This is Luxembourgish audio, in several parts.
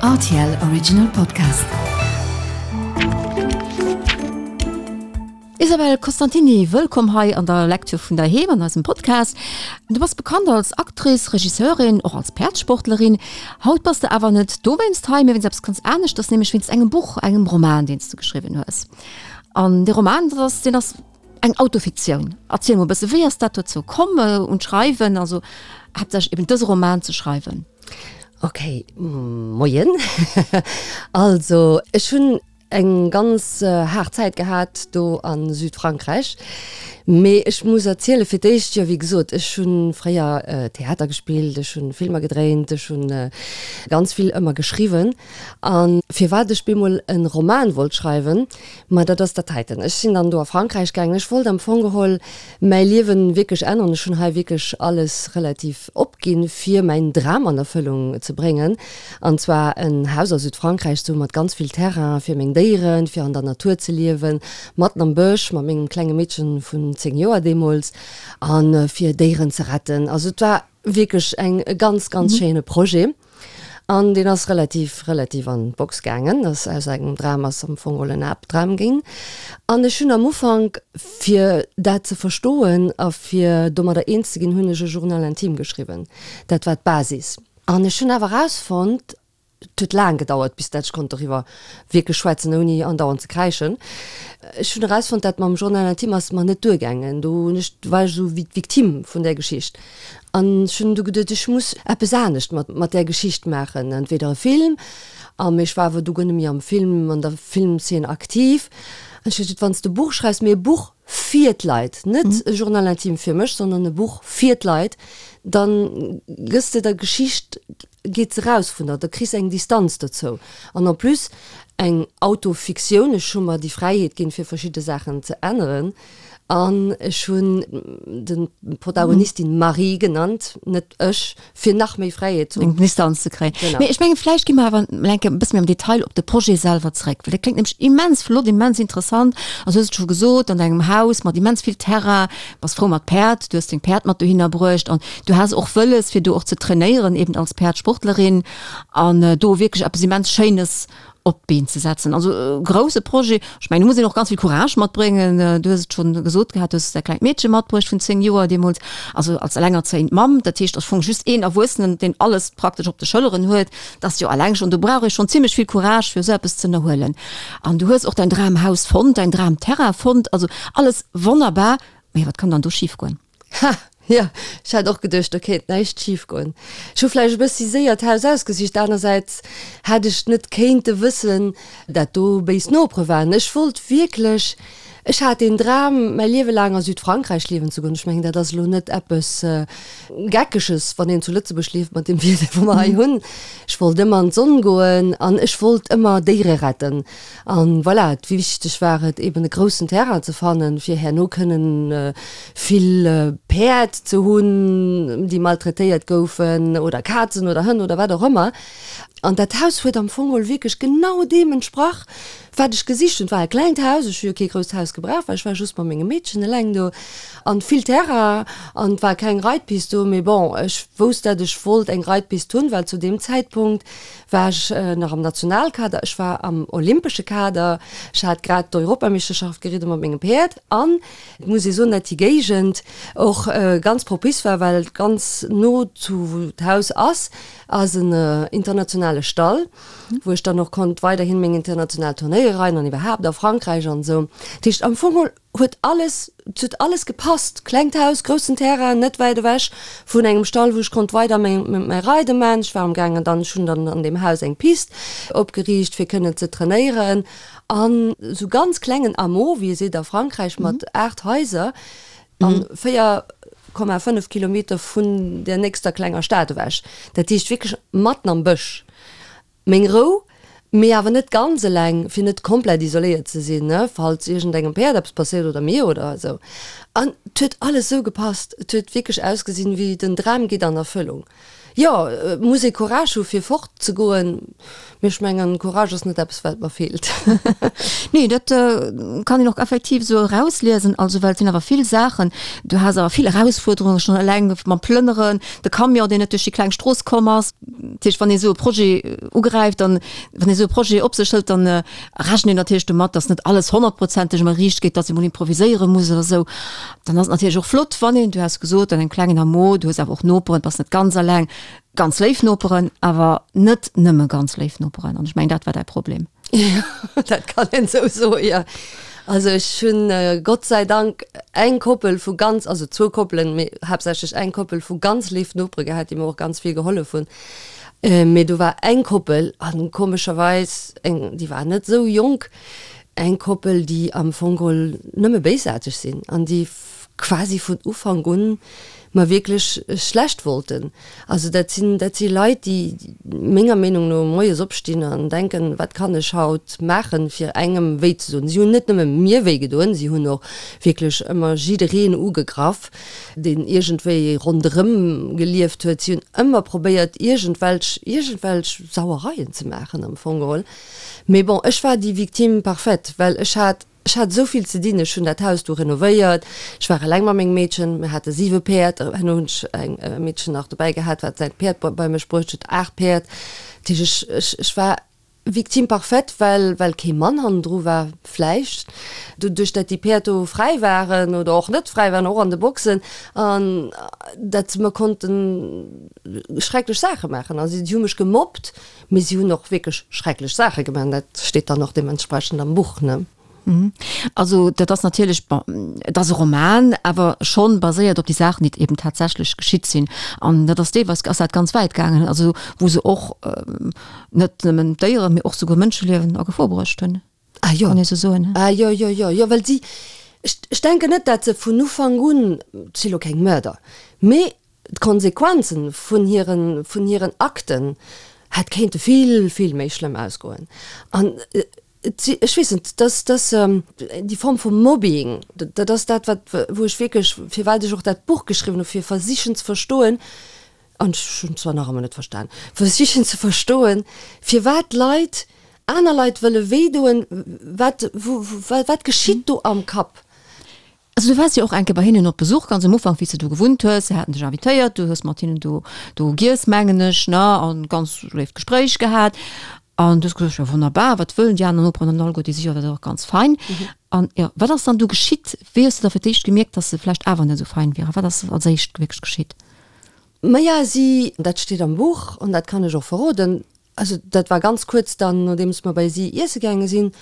Rtl Original Podcast. Isabelle Costantini, wëllkomm hei an der Lecture vun der Heem an eisem Podcast. Du bass bekannt als Actrice, Regisseurin, och als Päerdssportlerin. Haut bass de awer net dowéinst hei, mee wéinst eppes ganz aneschters, nämlech wéinst engem Buch, engem Roman, deen s de geschriwwen hues. An dee Roman, dat ass, deen ass Eng Autofiktioun. Erziel mol e bësse, wéi ass dat dozou komm, un d'Schreiwen, also haaptsächlech eben dëse Roman ze schreiwen? Ok, moien. Also ech hunn eng ganz haart Zäit gehat do a Südfrankräich. Mee ech muss erziele fir d'éischt, jo wéi gesot, ech hu fréier Theater gespillt, ech hu Filmer gedréint, ech hu ganz vill ëmmer geschriwwen. A firwat ech bemol e Roman wollt schreiwen, Ma dat ass dat heiten. Ech sinn dann do a Frankräich gaangen. Ech wollt am Fong geholl mäi Liewen wierklech änneren. Ech hunn hei wierklech alles relativ opginn, fir mäin Dram an Erfëllung ze bréngen. An zwar en Haus a Südfrankräich ze hu mat ganz vill Terrain fir meng Déieren, fir an der Natur ze liewen, matten am Bësch mat mengem klenge Meedchen vun 10 Joer deemools, a fir Déieren ze retten. Also et war wierklech eng e ganz, ganz schéine Projet. An deen ass relativ, relativ an d'Box gaangen. Ass aus engem Dram ass am Fong geholl en Albdram ginn. An ech hunn am Ufank, fir dat ze verstoen a fir domadder eens ze ginn, hunn ech e Journal intime geschriwwen. Dat war d'Basis. An ech hunn awer erausfonnt, et huet laang gedauert, bis dat ech konnt doriwwer wierklech schwätzen, ouni andauernd ze kräischen. Ech hunn erausfonnt, dat mam Journal intime ass mer net duergaangen. Do hunn ech, war ech esou wéi d'Victime vun där Geschicht. An ech hunn du geduet, ech muss eppes anescht mat mat där Geschicht maachen, entweder e Film, a mee ech war awer du guer net méi am Film, an der Filmzeen aktiv. An ech hu geduet, wann s de e Buch schreifs, mee e Buch fir d'Leit, net e Journal intime fir mech, sondern e Buch fir d'Leit, dann gëss de der Geschicht, geet se raus vun der, da kriss eng Distanz dozou. An en plus eng Autofiktioun, ech hu mer déi Fräiheet ginn, fir verschidde Saachen ze änneren. An ech hunn de Protagonistin Marie genannt, net ech, fir nach méi Fräiheet ze hunn. Eng Distanz ze kréien. Genau. Mee ech mengen, vläicht gi mer awer emol eng Kéier e bësse méi am Detail op de Projet selwer zréck, well dat kléngt nämlech immens flott, immens interessant. Also, du hues et scho gesot, an engem Haus mat immens vill Terrain, bass frou mat Päerd, du hues deng Päerd mat dohinner bruecht an du has och wëlles, fir do och ze trainéieren, eben als Päerdsportlerin an do wierklech eppes immens Schéines op d'Been ze setzen. Also e grousse Projet. Ech mengen, do muss een och ganz vill Courage matbréngen. Du hues et schonn gesot gehat, du hues däi klengt Meedche matbruecht vun 10 Joer deemools, also als elengerzéiend Mamm. Dat heescht, ass Fong just een Erwuessenen, deen alles praktesch op de Schëlleren huet. Dat ass jo eleng schonn, do brauch ee schonn zimmlech vill Courage, fir esou eppes ze ënnerhuelen. An du hues och däin Dramhaus fonnt, däin Dramterrain fonnt. Also alles wonnerbar. Mee wat kann dann do schifgoen? Ha, jo, ech hat och geduecht, do kéint näischt schif goen. Ech hu vläicht e bëssi séier d'Haus ausgesicht, anersäits hätt ech net kéinte wëssen, dat do béis Nopere waren. Ech wollt wierklech, ech hat deen Dram, mäi Liewe laang a Südfrankräich liewen ze goen. Ech mengen, dat ass elo net eppes Geckeges, wann een zu Lëtzebuerg lieft mat deem Wieder, wou mer hei hunn. Ech wollt ëmmer an d'Sonn goen an ech wollt ëmmer Déiere retten. An voilà, wichteg war et eben e groussen Terrain ze fannen, fir herno kënnen vill Päerd ze hunn, déi maltraitéiert goufen, oder Kazen oder Hënn oder wat och ëmmer. An dat Haus huet am Fong geholl wierklech genau deem entsprach, wat ech gesicht hunn. Et war e klengt Haus, ech hu jo kee grousst Haus gebraucht, well ech war just mat mengem Meedchen eleng do, an vill Terrain, an et war keng Reitpist do, mee bon, ech wousst, dat ech wollt eng Reitpist hunn, well zu deem Zäitpunkt war ech nach am Nationalkader, ech war am olympesche Kader, ech hat grad d'Europameeschterschaft geridde mat mengem Päerd an et muss ee soen, dat déi Géigend och ganz propice war, well ganz no zu wou d'Haus ass, ass en internationale Stall, wou ech dann och konnt weiderhin meng international Turnéiere reiden an iwwerhaapt a Frankräich an esou. Dat heescht am Fong huet alles, et huet alles gepasst, klengt Haus, groussen Terrain, net wäit ewech vun engem Stall, wou ech konnt weider meng, mäi Reide man. Ech war am gaangen dann, ech hunn dann an deem Haus eng Pist opgeriicht, fir kënnen ze trainéieren an esou ganz klengen Hameau, wéi ee seet a Frankräich, mat 8 Haiser an 4,5 Kilometer vun der nächster klenger Stad ewech. Dat heescht wierklech matten am Bësch. Meng Rou, mee awer net ganz eleng, fir net komplett isoléiert ze sinn, ne, falls iergendengem Päerd eppes passéiert oder mir oder esou. An et huet alles esou gepasst. Et huet wierklech ausgesinn, wéi den Dram geet an Erfëllung. Jo, et muss ee Courage hu fir fort ze goen, mee ech mengen Courage ass net eppes wat mer feelt. Nee, dat kann een och effektiv esou erausliesen, also well et sinn awer vill Saachen, du has awer vill Erausfuerderunge schonn eleng mam Plënneren, de Camion deen net duerch déi kleng Strooss komm ass. Dat heescht, wann ee esou e Projet ugräift, dann, wann ee esou e Projet op sech hëlt, dann rechent een natierlech domat, datt net alles honnertprozenteg ëmmer riicht geet, datt ee mol improviséiere muss oder esou. Dann ass et natierlech och flott, wann een, du has gesot, an engem klengen Hameau, du hues awer och Noperen, bass net ganz alleng, ganz léif Noperen, awer net nëmme ganz léif Noperen. An ech mengen, dat war däi Problem. Jo, dat kann een esou soen, jo. Also ech hunn Gott sei Dank eng Koppel vu ganz, also zwou Koppelen, mee haaptsächlech eng Koppel vu ganz léif Nopere gehat, déi mer och ganz vill gehollef hunn. Mee do war eng Koppel, an komescherweis eng, déi war net esou jonk, Eng Koppel, déi am Fong geholl nëmme béisaarteg sinn an déi quasi vun Ufank un mer wierklech schlecht wollten. Also dat sinn, dat si Leit, déi menger Meenung no moies opstinn an denken, wat kann ech haut maachen, fir engem wéi ze doen. Si hunn net nëmme mir wéi gedoen, si hunn och wierklech ëmmer jiddereen ugegraff, deen iergendwéi ronderëm gelieft huet. Si hunn ëmmer probéiert, iergendwelch, iergendwelch Sauereien ze maachen am Fong geholl. Mee bon, ech war déi Victime parfaite, well ech hat, ech hat esou vill ze dinn. Ech hunn dat Haus do renovéiert, ech war eleng mat mengem Meedchen, mir hate siwe Päerd, herno hunn ech eng e Meedchen nach dobäi gehat, wat säin Päerd bei mech bruecht huet, aacht Päerd. Dat heescht, ech, ech, ech war Victime parfaite, well, well kee Mann hannendru war, vläicht doduerch, dat déi Päerd do fräi waren oder och net fräi waren, och an de Boxen, an dat se mer konnten schrecklech Saache maachen. Also si hu mech gemobbt. Mee si hunn och wierklech schrecklech Saache gemaach an dat steet dann och deementsprechend am Buch, ne? Also dat ass natierlech, bon, et ass e Roman, awer schonn baséiert op déi Saachen, déi eben tatsächlech geschitt sinn. An dat ass deelweis ass dat ganz wäit gaangen, also wou se och net nëmmen Déieren, mee och souguer Mënscheliewen a Gefor bruecht hunn. Ah jo. Kann ee sou soen, he? Ah jo, jo, jo, jo, well si, ech, ech denken net, dat se vun Ufank un, et si lo keng Mörder, mee D'Konsequenzen vun hiren, vun hiren Akten hätt kéinte vill, vill méi schlëmm ausgoen. An et si, ech weess net, dass, dass déi Form vu Mobbing, dat ass dat, wat, wou ech wierklech, firwat ech och dat Buch geschriwwen hu fir versichen ze verstoen, an ech hunn et zwar nach ëmmer net verstan, versichen ze verstoen, firwat Leit aner Leit wëlle wéidoen, wat, wou, wat geschitt do am Kapp? Also du waars jo och eng Kéier bei hinnen op Besuch, ganz am Ufank, wéi s de do gewunnt hues. Se haten dech invitéiert, du hues mat hinnen do do giess, mengen ech, ne, an ganz léift Gespréich gehat. An du hues gesot, jo wonnerbar, wat wëllen déi aner Noperen an alleguer, déi si jo dat och ganz fein. An jo, wat ass dann du geschitt? Wéi hues de da fir d'éischt gemierkt, dass se vläicht awer net esou fein wieren? Wat ass als éischt wierklech geschitt? Maja, si, dat steet am Buch an dat kann ech och verroden, Also dat war ganz kuerz dann nodeems mer bei si iesse gaange sinn,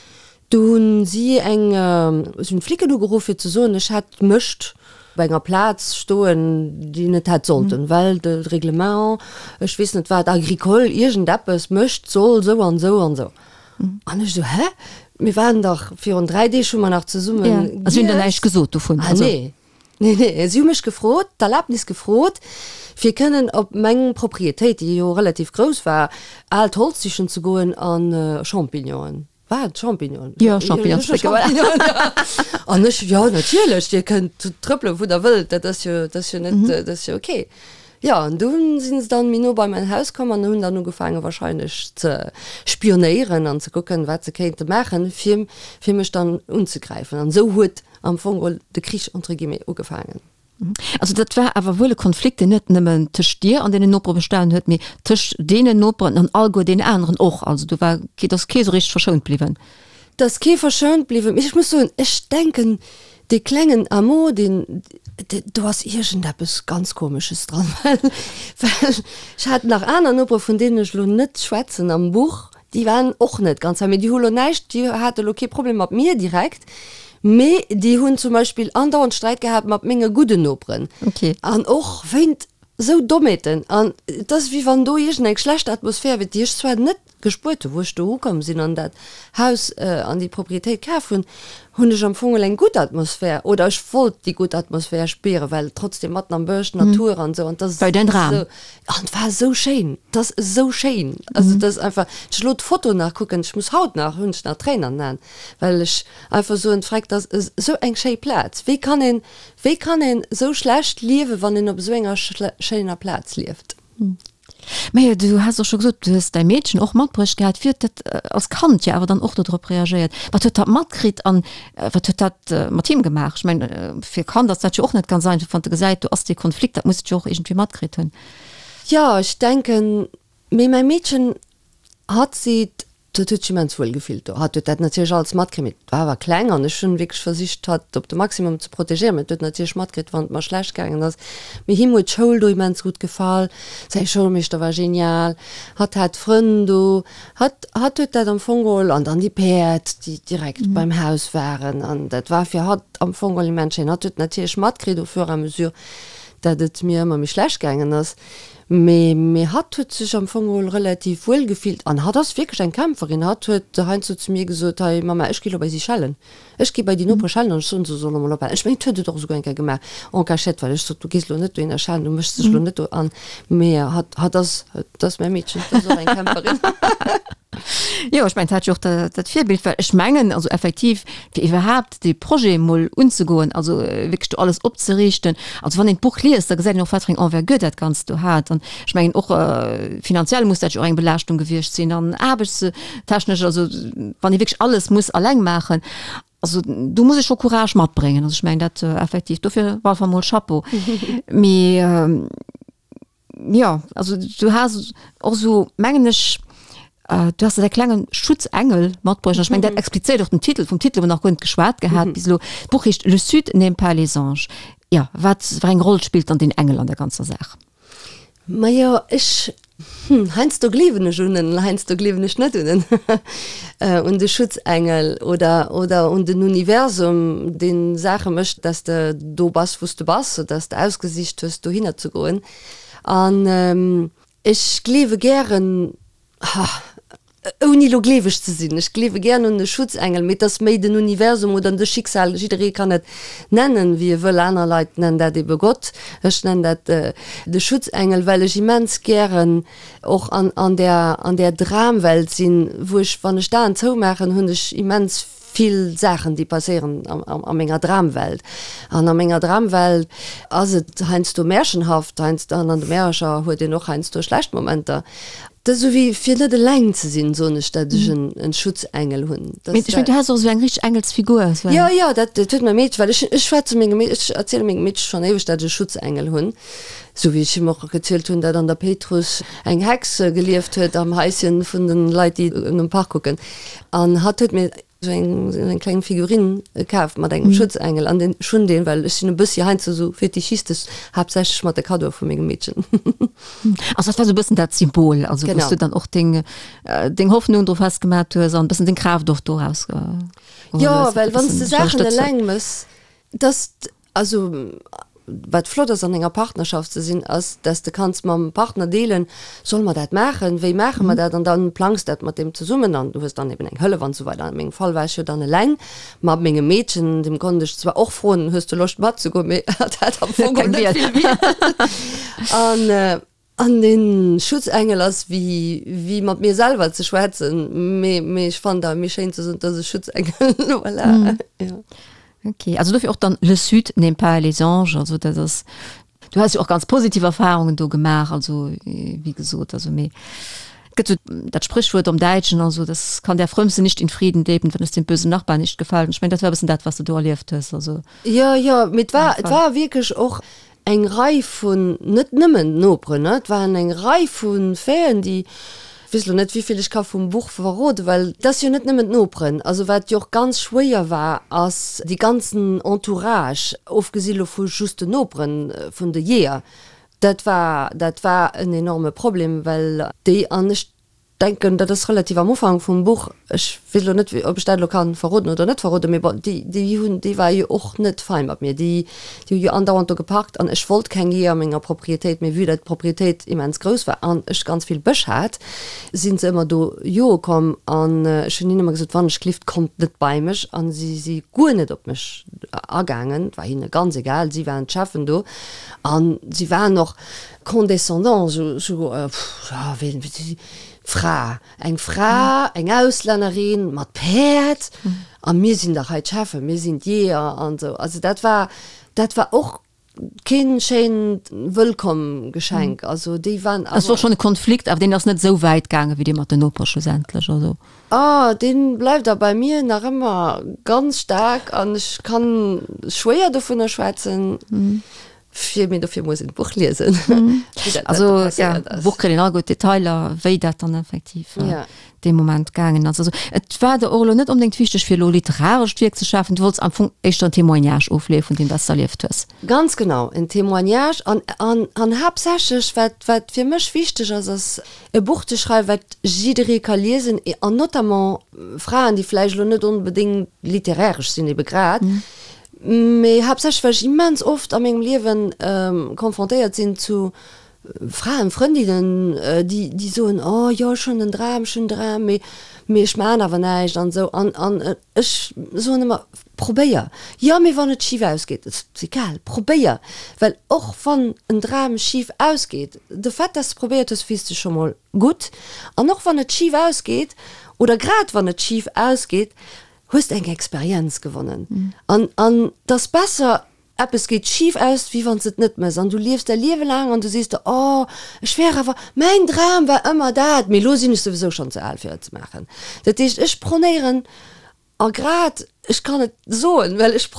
do hunn si eng, si hunn d'Flicken ugeruff fir ze soen, ech hätt Mëscht op enger Plaz stoen, déi net hätt sollten, well de Reglement, ech weess net wat, agricole, iergendeppes, Mëscht soll sou an sou an sou. An ech sou, hä? Mir waren dach virun 3 Deeg hu mer nach zesumme giess. A si hunn der näischt gesot dovun? Ah nee. Nee, nee, si hu mech gefrot, d'Erlaabnis gefrot, fir kënnen op meng Proprietéit, déi jo relativ grouss war, aalt Holz sichen ze goen a Champignonen. War et Champignonen? Jo, Champignonen. Champignonen, ja. An ech, Jo, natierlech, Dir kënnt trëppelen, wou Der wëllt, dat ass jo, dat ass jo net, dat ass jo okay. Jo, an dunn si se dann méi no bei mäin Haus komm an hunn dann ugefaange wahrscheinlech ze spionéieren an ze kucken, wat se kéinte maachen, fir, fir mech dann unzegräifen. An esou huet am Fong geholl de Krich entre guillemets ugefaangen. Also dat war awer wuel e Konflikt, deen net nëmmen tëscht dir an deenen Nopere bestanen huet, mee tëscht deenen Noperen an alleguer deenen aneren och. Also do war kee, et ass kee sou richteg verschount bliwwen. Et ass kee verschount bliwwen, mee ech muss soen, ech denken, dee klengen Hameau, deen, do ass iergendeppes ganz Komesches dran, well, well ech hat nach aner Nopere, vun deenen ech elo net schwätzen am Buch, Déi waren och net ganz hei, mee déi hu lo näischt, déi hate lo kee Problem mat mir direkt, mee déi hunn zum Beispill andauernd Sträit gehat mat menge gudden Noperen. Okay. An och wéint esou Dommheeten. An et ass wéi wann do iergend eng schlecht Atmosphär wier, déi ech zwar net gespuert hunn, wou ech do ukomm sinn an dat Haus an déi Proprietéit kaf hunn, hunn ech am Fong eng gutt Atmosphär oder ech wollt déi gutt Atmosphär spieren, well trotzdem matten am Bësch, Natur an esou an 't ass War jo däin Dram. esou an 't war esou schéin, 't ass esou schéin, also 't ass einfach, wann ech elo d'Foto nach kucken, ech muss haut nach, hunn ech nach Tréinen an den Aen, well ech einfach soen, freck, 't ass esou eng schéi Plaz, wéi kann een, wéi kann een esou schlecht liewen, wann een op esou enger schéiner Plaz lieft? Mä du has och scho gesot, du hues däi Meedchen och matbruecht gehat. Wéi huet dat als Kand jo awer dann och do drop reagéiert? Wat huet dat matkritt an wat huet dat mat him gemaach? Ech mengen, fir e Kand ass dat jo och net ganz einfach, wann de gesäit, do ass dee Konflikt, dat muss et jo och iergendwéi matkritt hunn. Jo, ech denken, mee mäi Meedchen, hatt seet, Dat huet sech immens wuel gefillt do. Hatt huet dat natierlech alles matkritt, mee et war awer kleng an ech hunn wierklech versicht, hatt op de Maximum ze protegéieren. Mee et huet natierlech matkritt, wann et mer schlecht gaangen ass. Mee him huet d'Schoul do immens gutt gefall, säi Schoulmeeschter war genial, hatt hat Frënn do, hatt, hatt huet dat am Fong geholl an dann déi Päerd, déi direkt beim Haus waren an dat war fir hatt am Fong geholl immens schéin. Hatt huet natierlech matkritt au fur et à mesure, dat et mir ëmmer méi schlecht gaangen ass. Mee mee hatt huet sech am Fong geholl relativ wuel gefillt an hatt ass wierklech eng Kämpferin. Hatt huet heiansdo zu mir gesot, Hei Mamma, ech gi lo bei si schellen. Ech gi bei déi Nopere schellen an ech soen, se solle mol ophalen. Ech mengen, et huet et och esouguer eng Kéier gemaach, en cachette, well ech sot, du gees lo net dohinner schellen, du méchs dech lo net do an. Mee hatt hatt ass, et ass mäi Meedchen, et ass och eng Kämpferin. Jo, ech mengen, et hat jo och dat Virbild, well ech mengen, also effektiv, fir iwwerhaapt dee Projet emol unzegoen, also wierklech do alles opzeriichten, also wann een d'Buch liest, da gesäit een och, wat fir eng Envergure dat Ganzt do hat. An ech mengen och finanziell muss dat jo och eng Belaaschtung gewiescht sinn an aarbechtstechnesch, also wann ee wierklech alles muss alleng maachen. Also do muss ee scho Courage matbréngen. Also ech mengen dat effektiv, dofir op alle Fall mol Chapeau. Mee Jo, also du has och esou, mengen ech, du has däi klengen Schutzengel matbruecht. An ech mengen, dat explizéiert och den Titel. Vum Titel hu mer nach guer net geschwat gehat bis elo. D'Buch heescht Le Sud n'aime pas les anges. Jo, wat fir eng Roll spillt dann deen Engel an der ganzer Saach? Majo, ech, hm, heiansdo gleewen ech un en, heiansdo gleewen ech net un en, un de Schutzengel oder, oder un den Universum, dee Saache mécht, dass de do bass, wou s de bass, oder dass de ausgesicht hues, dohinner ze goen. An ech gleewe gären, ha, ouni elo gleeweg ze sinn, ech gleewe gären un e Schutzengel, mee et ass méi den Universum oder de Schicksal, jidderee kann et nennen, wéi e wëll, aner Leit nennen dat ebe Gott, ech nennen dat de Schutzengel, well ech immens gären och an, an där, an där Dramwelt sinn, wou ech, wann ech d'Aen zoumaachen, hunn ech immens vill Saachen, déi passéieren a menger Dramwelt. An a menger Dramwelt ass et heiansdo märchenhaft, heiansdo, an an de Märercher huet een och heiansdo schlecht Momenter. Dat ass esou wéi fir net eleng ze sinn, soen ech, dat ech en Schutzengel hunn. Mee ech mengen, du has och esou eng richteg Engelsfigur, esou eng. Jo, jo, dat huet mäi Meedche, well ech, ech schwätze mengem Meedche, ech erziele mengem Meedche schonn éiweg, dat ech e Schutzengel hunn. Esou wéi ech him och gezielt hunn, dat an der Péitruss eng Hex gelieft huet am Haischen vun de Leit, déi nom Park kucken. An hatt huet mir esou eng, esou eng kleng Figurine kaf mat engem Schutzengel an deen, ech hunn deen, well ech sinn e bëssi heiansdo esou fetichistesch, haaptsächlech mat de Kaddoe vu mengem Meedchen. Also dat war esou e bëssen dat Symbol, also wou s du dann och deng, deng Hoffnung dru festgemat hues an e bëssen deng Kraaft och doraus geholl hues. Jo, well wann s de Saachen eleng mëss, dass Also, wat flott ass an enger Partnerschaft ze sinn, ass, dass de kanns mam Partner deelen, Solle mer dat maachen? Wéi maache mer dat? An dann plangs dat mat deem zesummen an du hues dann eben eng Hëllef an esou weider. An mengem Fall war ech jo dann eleng mat mengem Meedchen, deem konnt ech zwar och froen, Hues de Loscht matzegoen? Mee hatt hat am Fong geholl net vill Wiel. An. An den Schutzengel ass wéi wéi mat mir selwer ze schwätzen, mee mee ech fannen awer méi schéin ze soen, et ass e Schutzengel, voilà, jo. Ok, also dofir och dann Le Sud n'aime pas les anges, also dat ass, du has jo och ganz positiv Erfahrungen do gemaach, also wéi gesot, also mee et gëtt sou dat Spréchwuert am Däitschen, also das kann der Frömmste nicht in Frieden leben, wenn es dem bösen Nachbarn nicht gefällt, an ech mengen dat war e bëssen dat wat s de do erlieft hues, also. Jo, jo, mee et war, et war wierklech och eng Rei vun, net nëmmen d'Noperen, et waren eng Rei vu Faiten, déi, ech weess elo net, wéivill ech ka vum Buch verroden, well et ass jo net nëmmen d'Noperen. Also wat jo och ganz schwéier war, ass dee ganzen Entourage, ofgesi lo vu just den Noperen, vun de Jeeër. Dat war, dat war en enorme Problem, well déi, an ech denken, dat ass relativ am Ufank vum Buch, ech weess elo net, ob ech dat elo ka verroden oder net verroden, mee bon, déi, déi hunn, déi war jo och net fein mat mir. Déi, déi hu jo andauernd do geparkt an ech wollt keng Jeeër a menger Proprietéit, mee vue dat d'Proprietéit immens grouss war an ech ganz vill Bësch hat, si se ëmmer do joe komm an ech hunn hinnen ëmmer gesot, wann ech gelift, kommt net bei mech an si si guer net op mech agaangen, et war hinne ganz egal, si waren d'Cheffen do an si waren och Condescendant, sou, sou, pff, ja, ween, Fra, eng Fra, eng Auslännerin mat Päerd, a mir sinn dach hei d'Cheffen, mir sinn d'Jeeër an esou. Also dat war, dat war och. keen schéint Wëllkomm-Geschenk. Also déi waren awer. Es wor schonn e Konflikt, awer deen ass net esou wäit gaangen, wéi dee mat den Nopere schlussendlech. Also. Ah, dee bleift a bei mir nach ëmmer ganz staark an ech kann schwéier dovunner schwätzen. Fir mee dofir muss een d'Buch liesen. Wéi dat Also ja, passéiert ass. Buch kritt een all gutt Detailer, wéi dat dann effektiv Ja. dee Moment gaangen ass. Also et war der och elo net onbedéngt wichteg, fir elo literarescht Wierk ze schafen, du wollts am Fong éischter en Témoignage ofleeë vun deem, wat s de erlieft hues. Ganz genau, en Témoignage an an an haaptsächlech wat wat fir mech wichteg ass, ass e Buch ze schreiwen, wat jidderee ka liesen an notamment Fraen, déi vläicht elo net onbedéngt literäresch sinn ebe grad, Mee haaptsächlech well ech immens oft a mengem Liewen confrontéiert sinn zu Fraen, Frëndinnen, déi déi soen, oh jo ech hunn en Dram, ech hunn en Dram, mee mee ech maachen awer näischt an esou. An an ech soen ëmmer, probéier! Jo, mee wann et schif ausgeet? Et ass egal, probéier! Well och wann en Dram schif ausgeet, de Fait dass de probéiert hues, fills de scho mol gutt. An och wann et schif ausgeet, oder grad wann et schif ausgeet, hues de eng Experienz gewonnen. An, an 't ass besser, eppes geet schif aus, wéi wann s de et net mëss an du liefs däi Liewe laang an du sees der, Oh, ech wär awer, mäin Dram war ëmmer dat, mee elo sinn ech souwisou schonn ze al fir et ze maachen. Dat heescht, ech pronéieren, a grad, ech kann et soen, well ech,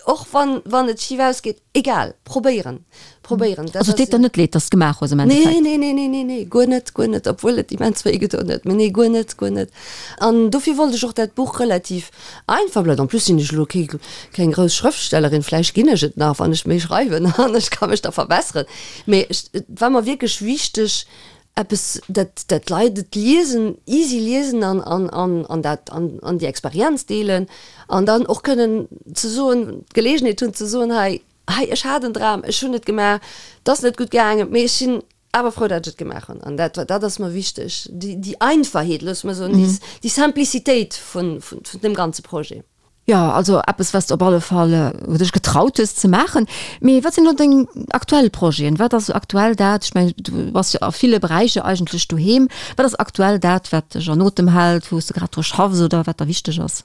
och wann, wann et schif ausgeet, Egal, probéieren, probéieren. Dat Also et deet der net leed, dass de gemaach hues am Endeffekt? Nee, nee, nee, nee, nee, nee, guer net, guer net, obwuel et immens wéi gedoen huet, mee nee, guer net, guer net. An dofir wollt ech och dat Buch relativ einfach bleiwen. En plus sinn ech elo kee, keng grouss Schrëftstellerin, vläicht ginn ech et nach, wann ech méi schreiwen an ech ka mech da verbesseren. Mee ech, et war mer wierklech wichteg, eppes, dat, dat d'Leit et liesen, easy liesen an, an, an, an dat, an, an déi Experienz deelen an dann och kënnen ze soen, d'Geleegenheet hunn ze soen, hei, hei, ech hat en Dram, ech hunn et gemaach, et ass net gutt gaangen, mee ech sinn awer frou, dat ech et gemaach hunn. An dat, dat ass mer wichteg, déi, déi Einfachheet, loosse mer soen, déi, déi Simplicitéit vun, vun, vun deem ganze Projet. Jo, also eppes, wat s de op alle Fall, wou dech getraut hues ze maachen. Mee wat sinn elo deng aktuell Projeten? Wat ass aktuell dat, ech mengen, du bass jo a ville Beräicher eigentlech doheem, wat ass aktuell dat, wat dech an Otem hält, wou s de grad dru schaffs oder wat der wichteg ass?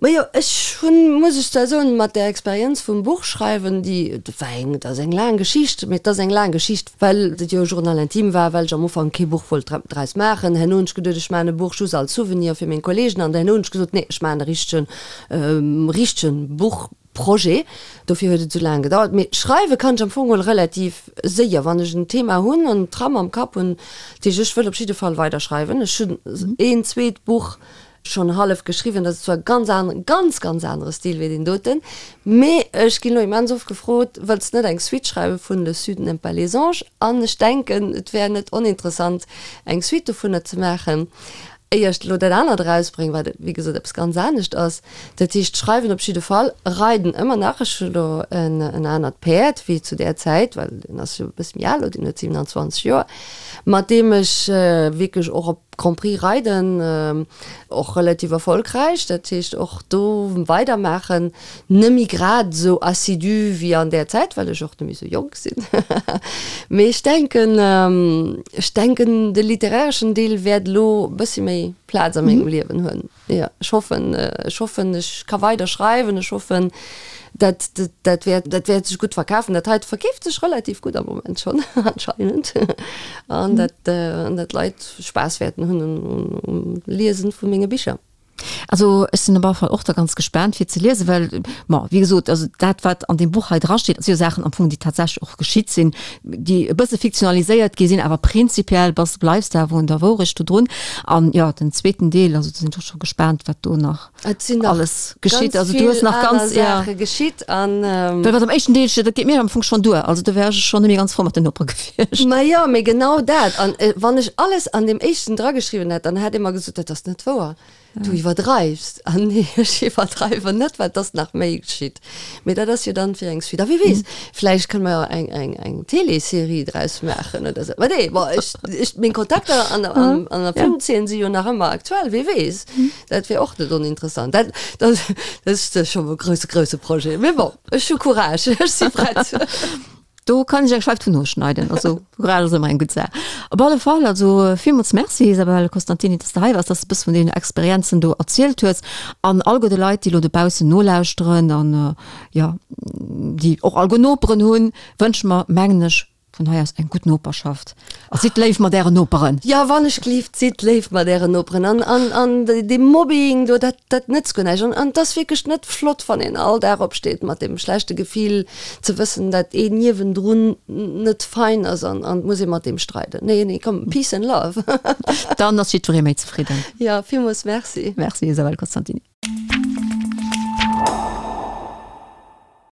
Majo, ech hunn, muss ech zwar soen, mat där Experienz vum Buchschreiwen, déi, dat war eng, dat ass eng laang Geschicht, mee et ass eng laang Geschicht, well et jo e Journal intime war, well ech am Ufank kee Buch wollt draus maachen. Herno hunn ech geduet, ech maachen e Buch just als Souvenir fir meng Kollegen an herno hunn ech gesot, nee, ech maachen e richtegen, richtegen Buchprojet. Dofir huet et esou laang gedauert. Mee schreiwe kann ech am Fong geholl relativ séier, wann ech en Thema hunn an d'Trame am Kapp hunn. Dat heescht, ech wëll op jidde Fall weider schreiwen. Ech hunn een zweet Buch Schonn hallef geschriwwen, dat ass zwar e ganz aneren, ganz, ganz anere Stil wéi deen doten, mee ech ginn elo immens oft gefrot, wëlls de net eng Suite schreiwe vun Le Sud n'aime pas les anges? An ech denken, et wär net oninteressant, eng Suite dovunner ze maachen, éier ech elo dat anert erausbréngen, wat wéi gesot eppes ganz anescht ass. Dat heescht, schreiwen op jidde Fall, reiden ëmmer nach, ech hu elo en anert Päerd wéi zu där Zäit, well deen ass jo e bësse méi al elo, deen huet 27 Joer, mat deem ech wierklech och op Grand Prix reiden, och relativ erfolgräich, dat heescht och do weidermaachen, net méi grad esou assidu wéi an där Zäit, well ech och net méi esou jonk sinn. Mee ech denken, ech denken de literäreschen Deel wäert elo e bëssi méi Plaz a mengem Liewen hunn. Jo, ech hoffen, ech hoffen, ech ka weider schreiwen, ech hoffen, dat, dat wäert, dat wäert sech gutt verkafen. Dat heite verkeeft sech relativ gutt am Moment schonn anscheinend. An dat, an dat d'Leit Spaass wäerten hunn um, um Liesen vu menge Bicher. Also ech sinn op alle Fall och da ganz gespaant fir ze liesen, well, bon, wéi gesot, also dat wat an deem Buch hei drasteet, si jo Saachen am Fong, déi tatsächlech och geschitt sinn, déi e bësse fiktionaliséiert gi sinn, awer prinzipiell bass, bleifs de awer un der Wourecht do drun. An jo, den zweeten Deel, also do sinn ech och scho gespaant, wat do nach Et sinn nach alles geschitt. Also du hues nach ganz, ja. Saache geschitt an. Well wat am éischten Deel steet, dat geet mir am Fong schonn duer. Also do wär ech schonn net méi ganz frou mat den Nopere gewiescht. Ma jo, mee genau dat. An wann ech alles an deem éischten drageschriwwen hätt, dann hätt ee mer gesot, dat ass net wouer. Du iwwerdreifs. An nee, ech iwwerdreiwen net, well et ass nach méi geschitt. Mee dat ass jo dann fir eng Suite. A wie weess, vläicht kënne mer jo eng, eng, eng Télésserie draus maachen oder esou. Mä nee, bon, ech, ech, meng Kontakter an der, an, an der Filmzeen si jo nach ëmmer aktuell, wie weess, dat wier och net oninteressant. Dat, dat, dat ass scho e grousse, grousse Projet. Mee bon, ech hu Courage, ech si prett. Do kann ech eng Scheif vun noschneiden. Also Choral ass ëmmer eng gutt Saach. Op alle Fall also villmools Merci Isabelle Costantini, dass de hei waars, dass de e bësse vun deenen Experienzen do erzielt hues an all gudde Leit, déi elo dobaussen nolauschteren an jo, déi och all gutt Noperen hunn, wënsche mer, mengen ech, vun hei aus eng gutt Noperschaft a sidd léif mat ären Noperen. Jo, wann ech gelift, sidd léif mat ären Noperen an, an, an dee Mobbing do, dat, dat nëtzt guer näischt. An, an et ass wierklech net flott, wann een all Dag opsteet mat deem schlechte Gefill, ze wëssen, dat een niewendrun net fein ass an, an et muss ee mat deem streiden. Nee, nee, komm, peace and love. Dann ass jiddweree méi zefridden. Jo, villmools Merci. Merci Isabelle Costantini.